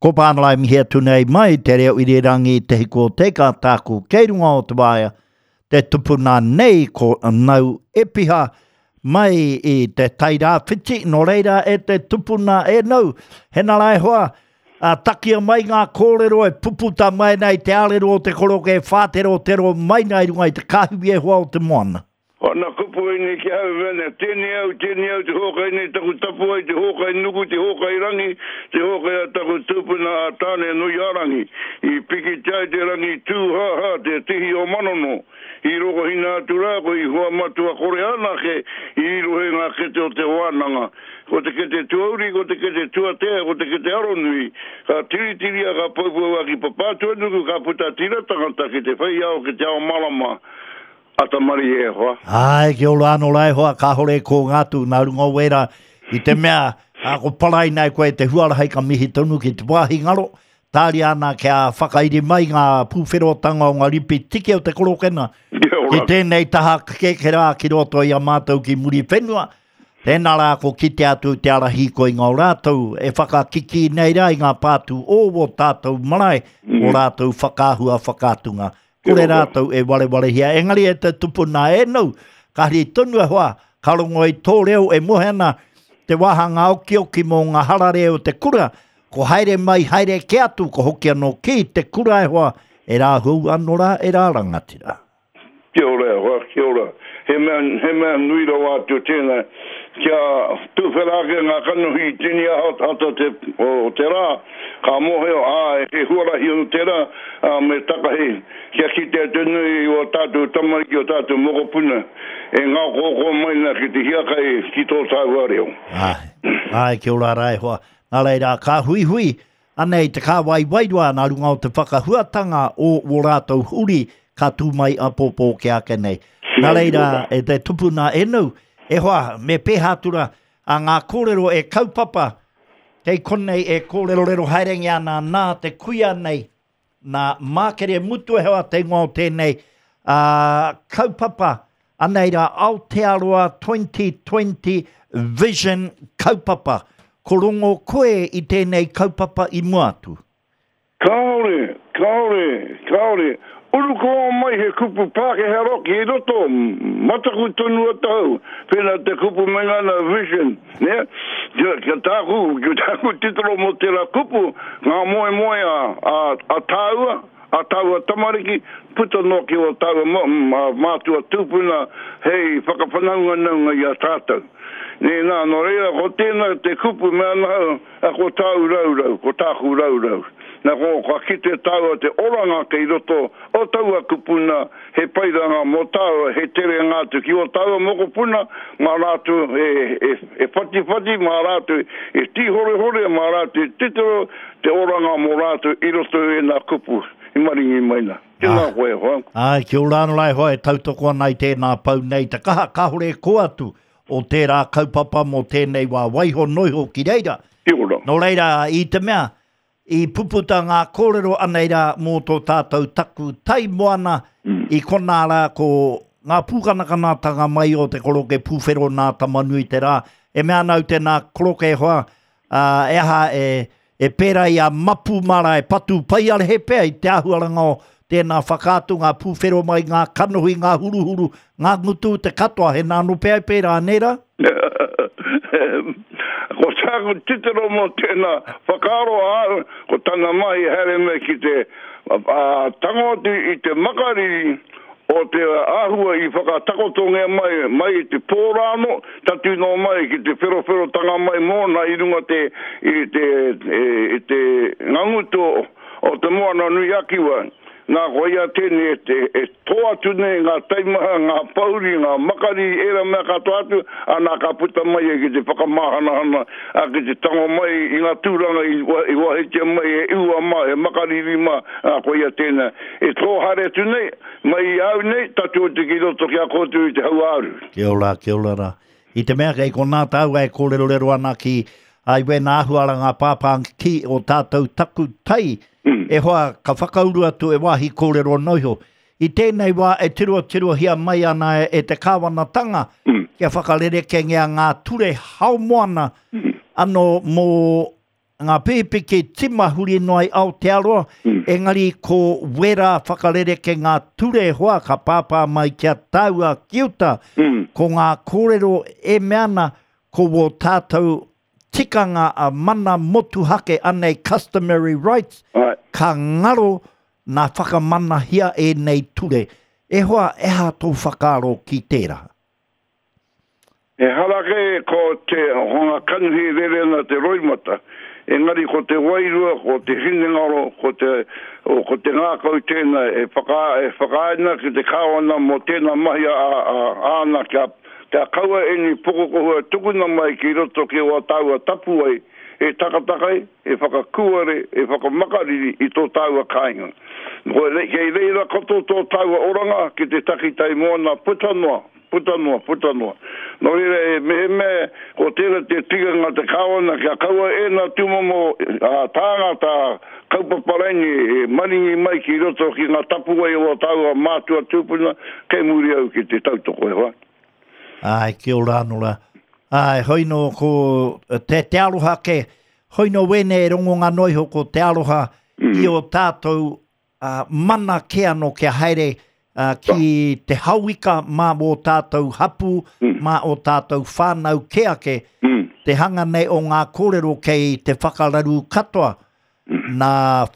Ko Pānalai mihi atu nei mai te reo irirangi Te Hiku o Te Ika tāku kei runga o te waea te tupuna nei ko Nau Epiha mai i te Tairāwhiti nō reira e te tupuna e Nau hena rā e hoa a, takia mai ngā kōrero e puputa mai nei te ārero o te koroke e whāterotero mai nei runga i te kāhiwi e hoa o te moana. Ana kupu ēnei ki ahau, mea nei, Tēnei au, tēnei au te hōkai nei taku tapuwae, te hōkai nuku, te hōkai rangi, te hōkai a taku tupuna a Tāne-nui-a-rangi. I pikitia ai te rangi tūhāhā, te tihi o Manono. I rokohina atu rā koe i hua matua kore anake i rirohe ngā kete o te wānanga. Ko te kete tuauri, ko te kete tuatea, ko te kete aronui. Ka tiritiria, ka poupou a ki Papātuanuku, ka puta tira tangata ki te whei ao, ki te ao marama. Ata marie e hoa. Āe, kia ora anō rā e hoa, kāore e kōnga atu nā runga o wērā i te mea ā, ko paraina e koe te huarahi ka mihi tonu ki te wāhi ngaro, tāria ana kia whakairi mai ngā pūwherotanga o ngā ripi tiki o te korokena Kia ki ora. tēnei taha kekera ki roto i a mātou ki Muriwhenua, tēnā rā ko kite atu te ara hīkoinga o rātou e whakakikī nei rā i ngā pātū o wō tātou marae, o rātou whakaahua whakaatunga. Kore rātou e warewarehia, engari e te tupuna e nou, ka hari tonu e hoa, ka rongo i tō reo e moe ana te wāhanga okioki mō ngā harare o te kura, ko haere mai haere kē atu, ko hoki anō ki te kura e hoa, e rā hou anō rā, e rā rangatira. Kia ora e hoa, kia ora. He mea, he mea nui rawa atu tēnā, kia tuwhera ake ngā kanohi i tini ata te, o te rā, ka mōhio, ā, he huarahi anō tērā, ā, me takahi, kia kitea te nui i ō tātou tamariki, ō tātou mokopuna, e ngāokooko mai ana ki te hiakai ki tō tāua reo. Āe, āe, kia ora rā e hoa. Nā reira, ka huihui, Anei te kāwai wairua nā runga o te whakahuatanga o wō rātou uri ka tū mai apōpō ke ake nei. Nā reira, e te tupuna e nou, e hoa, me pēhā atu rā, a ngā kōrero e kaupapa, kei konei e kōrerorero haerengia ana nā te kuia nei, nā Mākere Mutuehoa te ingoa o tēnei, ā, kaupapa, Anei rā Aotearoa 2020 Vision kaupapa. Ko rongo koe i tēnei kaupapa i mua atu? Kāore, kāore, kāore. Urukoa mai he kupu Pākehā roki i roto, mataku tonu atahau, pēnā te kupu me ngana vision, nē? Kia, kia tāku, kia tāku titiro mō tērā kupu, ngā moemoeā a, a tāua, a tāua tamariki, puta noa ki ō tāua mātua tūpuna hei whakawhanaunganaunga i a tātou. Nē, nā, nō reira, ko tēnā te kupu mea ana au, a, ko tāu raurau, ko tāku raurau. Nā, ko, ka kite tāua te oranga kei roto o taua kupu nā, he pairanga mō tāua, he terenga atu ki ō tāua mokopuna, mā rātou e, e, e whatiwhati, mā rātou e tīhorehore, mā rātou e titiro, Te oranga mō rātou i roto i ēnā kupu i maringi mai nā. Tēnā koe e hoa. Āe, kia ora anō rā e hoa e tautoko ana i tēnā pou nei te kaha, kāore e kō atu o tērā kaupapa mō tēnei wā, waiho noiho ki reira. Kia ora. Nō reira, i te mea, i puputa ngā kōrero anei rā mō tō tātou taku tai moana, i konā rā ko ngā pūkanakanatanga mai o te koroke pūwhero nā Tamanuiterā, e mea ana au tēnā koroke e hoa, Ā, e aha, e, e pērā i a Mapu mara e patu paiarehe pea i te āhuaranga o tēnā whakaatu, ngā pūwhero mai, ngā kanohi, ngā huruhuru, ngā ngutu, te katoa, he nā anō pea e pērā, nē rā? Ko tāku titiro mō tēnā whakaaro āu, ko tana mahi haere mai ki te tango atu i te makariri o te āhua i whakatakotongia mai, mai i te pō rānō, tatū noa mai ki te wherowherotanga mai mōna i runga te, i te, i te ngangutu o Te Moana-nui-a-Kiwa. Nā, ko ia tēnei e, e, e tō atu nei ngā taimaha, ngā pouri, ngā makariri, ērā mea katoa atu, ana ka puta mai ia ki te whakamāhanahana, ā, ki te tango mai i ngā tūranga i, i wahitia mai e Ua mā, e Makariri mā, ā, ko ia tēnā. E tō haere atu nei, mai i a au nei, tatū atu ki roto ki a koutou i te hauāuru. Kia ora, kia ora rā. I te mea kei konā tāua e kōrerorero ana ki ai wēnā āhuaranga pāpā ki o tātou taku tai, e hoa ka whakauru atu e wāhi kōrero anō iho. I tēnei wā e tirotirohia mai ana e te kāwanatanga kia whakarerekengia ngā ture hao moana anō mō. ngā pīpiki tima huri noa i Aotearoa, engari ko wērā whakarereke ngā ture hoa ka pāpā mai ki a tāua ki uta, ko ngā kōrero e mea ana ko wō tātou tikanga a mana motuhake anei customary rights, ka ngaro nā whakamanahia ēnei ture. E hoa, e aha tō whakaaro ki tērā? Ehara kē ko te hunga kanohi rere ana te roimata, engari ko te wairua, ko te hinengaro, ko te, ko te ngākau tēnā e whaka, e whakaae ana ki te Kāwana mō tēnā mahi a, a, āna kia, kia kaua ēnei pukukohua tukuna mai ki roto ki wā tāua tapuwae e takatakai, e whakakūare, e whakamakariri i tō tāua kāinga. Ko, kei reira katoa tō tāua oranga ki te takitai moana puta noa. Puta noa, puta noa. Nō reira, e, mehemea ko tērā te tikanga te Kāwana kia kaua ēnā tūmomo tāngata kaupapa raini e maringi mai ki roto ki ngā tapuwae o ō tāua mātua tūpuna, kei muri au ki te tautoko, e hoa. Āe, kia ora anō rā. Āe, hoi nō ko te, te aroha kē, hoi nō wēnei e rongonga noa iho ko te aroha i ō tātou mana kē anō kia haere ki te hauika mā ō tātou hapū, mā ō tātou whānau kē ake, te hanga nei o ngā kōrero kei te whakararu katoa, nā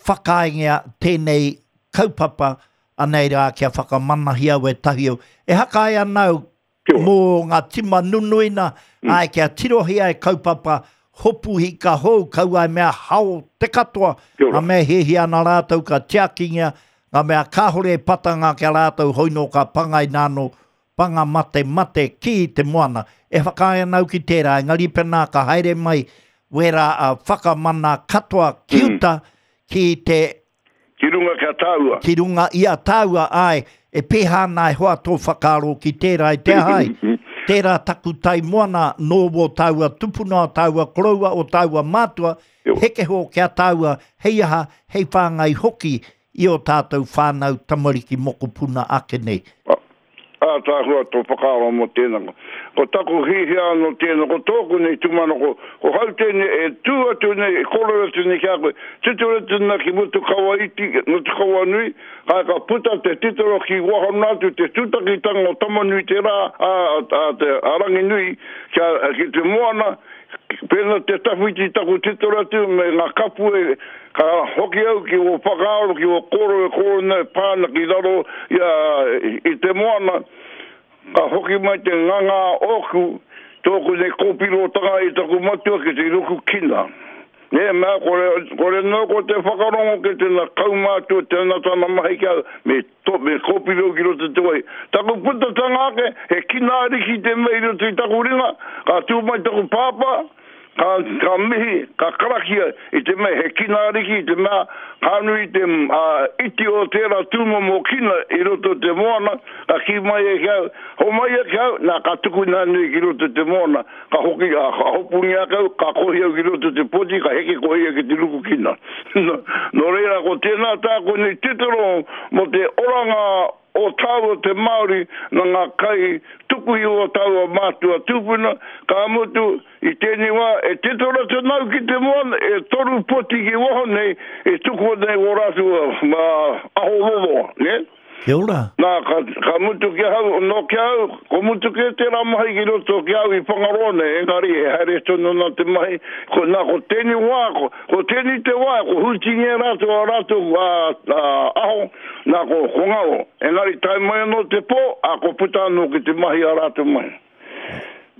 whakaaengia tēnei kaupapa, anei rā kia whakamanahia wētahi au. E hakae ana au mō ngā tima nunui nā, āe, kia tirohia e kaupapa hopu hika hou, kaua e mea hao te katoa, ngā mea e hiahia ana rātou ka tiakingia, ngā mea kāhore e patanga ki a rātou hoi nō ka pangaina anō, panga mate mate ki te moana. E whakaae ana au ki tērā, engari pēnā ka haere mai wērā whakamana katoa ki uta ki te Ki runga ki a tāua. Ki runga i a tāua, āe, e pēhā ana e hoa tō whakaaro ki tērā i te aha ai. Tērā taku tai moana nō wō tāua tupuna, o tāua koroua, o tāua mātua, hekeho ki a tāua, hei aha, hei whāngai hoki i ō tātou whānau, tamariki, mokopuna ake nei. Ātaahua tō whakaaro mō tēnā. Ko taku hiahia anō tēnā, ko tōku nei tūmanako, ko hau tēnei e tū atu nei, e kōrero atu nei ki a koe, titiro atu nā ki Motukawa iti, Motukawa nui, kai ka puta te titiro ki waho noa atu te tūtakitanga o Tamanui-te-rā, a, a, te, a Ranginui, kia, ki te moana, Pēnā te tawhiti taku titiro atu me ngā kapu e, ka hoki au ki ō whakaaro, ki ō kōrero e kōrero nei e pā ana ki raro i a, i te moana, ka hoki mai te nganga ōku, tōku nei kōpirotanga i taku matua ki te ruku kina. Nē, mea, kore, kore noa ko te whakarongo ki tēnā kaumātua, tēnā tana mahi ki au, me To, me kōpiro ki roto i te wai. Taku putatanga ake, he kina ariki te mea i roto i taku ringa, ka tū mai taku pāpā, ka, ka mihi, ka karakia i te mea he kina ariki, i te mea ka nui te uh, iti o tērā tūmomo kina i roto i te moana, ka kī mai e ki au, homai e ki au, nā ka tukuna nui ki roto i te moana. Ka hoki, ā, ka hopungia ake au, ka kohi au ki roto i te poti, ka heke koe ia ki te ruku kina. Nō reira, ko tēnā tāku nei titiro mō te oranga o tāua te Māori nā ngā kai tuku iho o tāua mātua tūpuna, ka mutu, i tēnei wā, e titiro atu ana au ki te moana, e toru poti ki waho nei, e tukua nei ō rātou aho roroa, nē? Kia ora. Nā, ka, ka mutu ki ahau, nō ki ahau, ko mutu kē tērā mahi ki roto ki au i Whangaroa nei, engari e haere tonu ana te mahi, ko, nā, ko tēnei wā, ko, ko tēnei te wā, ko hūtingia rātou a rātou a, a, aho, nā, ko, ko ngaro. Engari tae mai anō te pō, ā, ko puta anō ki te mahi a rātou mahi.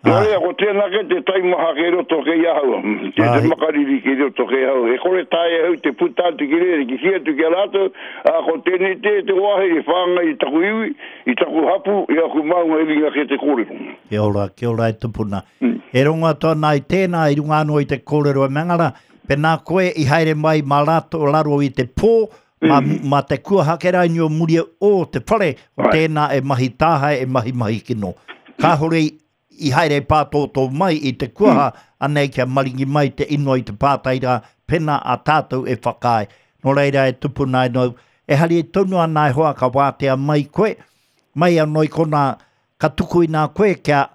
Nō reira, ko tēnā kē te taimaha kei roto kei ahau, te, te makariri kei roto kei ahau. E kore taea e au te puta atu ki reira, ki kī atu ki a rātou, ā, ko tēnei te, te wāhi e whāngai i taku iwi, i taku hapū, i aku maunga i ringa kē te kōrero. Kia ora, kia ora e tupuna. E rongo atu ana i tēnā i runga anō i te kōrero e Mangara, pēnā koe i haere mai mā rātou raro i te pō, mā, mā te kuaha ke raini o muri o te whare, ko tēnā e mahi tāhae, e mahi mahi kino. Kāhore i, i haere pātōtō mai i te kuaha, anei kia maringi mai te ingoa i te pātai rā, pēnā a tātou e whakaae. Nō reira e tupuna ai nōu, e hari tonu ana e hoa ka wātea mai koe, mai anō i konā, ka tukuina koe kia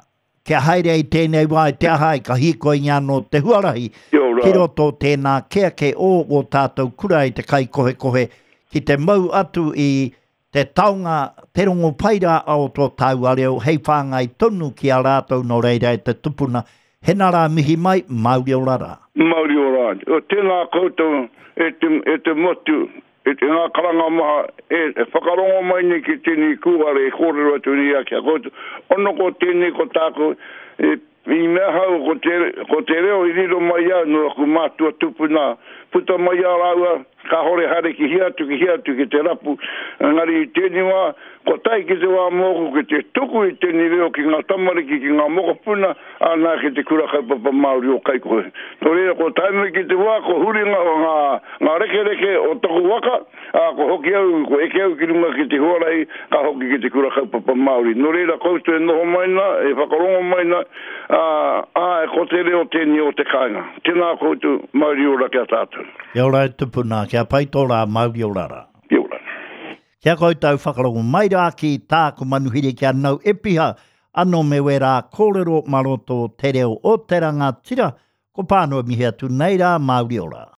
Kia haere ai tēnei wā i te aha ai, ka hīkoingia anō te huarahi Kia ora. Ki roto tēnā kē ake o ō tātou kura i te kaikohekohe ki te mau atu i te taonga, te rongo pai rā o tō tāua reo hei whāngai tonu ki a rātou nō reira e te tupuna, hena rā mihi mai, mauri ora rā. Mauri ora. Tēnā koutou e te, e te motu, e te ngā karanga maha e, e whakarongo mai nei ki tēnei kūare e kōrero atu nei a ki a koutou. Ono ko tēnei ko tāku e I mea ahau ko te, ko te reo i riro mai i au nō aku mātua tupuna, puta mai i a rāua, kāore haere ki hea atu, ki hea atu ki te rapu, engari i tēnei wā, kua tae ki te wā mōku ki te tuku i tēnei reo ki ngā tamariki, ki ngā mokopuna, āna ki te Kura Kaupapa Māori o Kaikohe. Nō reira, kua tae mai ki te wā, kua huri ngā, ngā, ngā rekereke o taku waka, Ā, kua hoki au, kua eke au ki runga ki te huarahi, ka hoki ki te kura kaupapa Māori. Nō reira koutou e noho mai nā, e whakarongo mai nā, ā, āe, ko te reo tēnei o te kāinga. Tēnā koutou, mauri ora ki a tātou. Kia ora e tupuna, kia pai tō rā, mauri ora rā. Kia ora. Kia koutou whakarongo mai rā ki tāku manuhiri ki a Nau Epiha, ano me wērā kōrero mā roto te reo o te rangatira, ko Pānua mihi atu nei rā, mauri ora.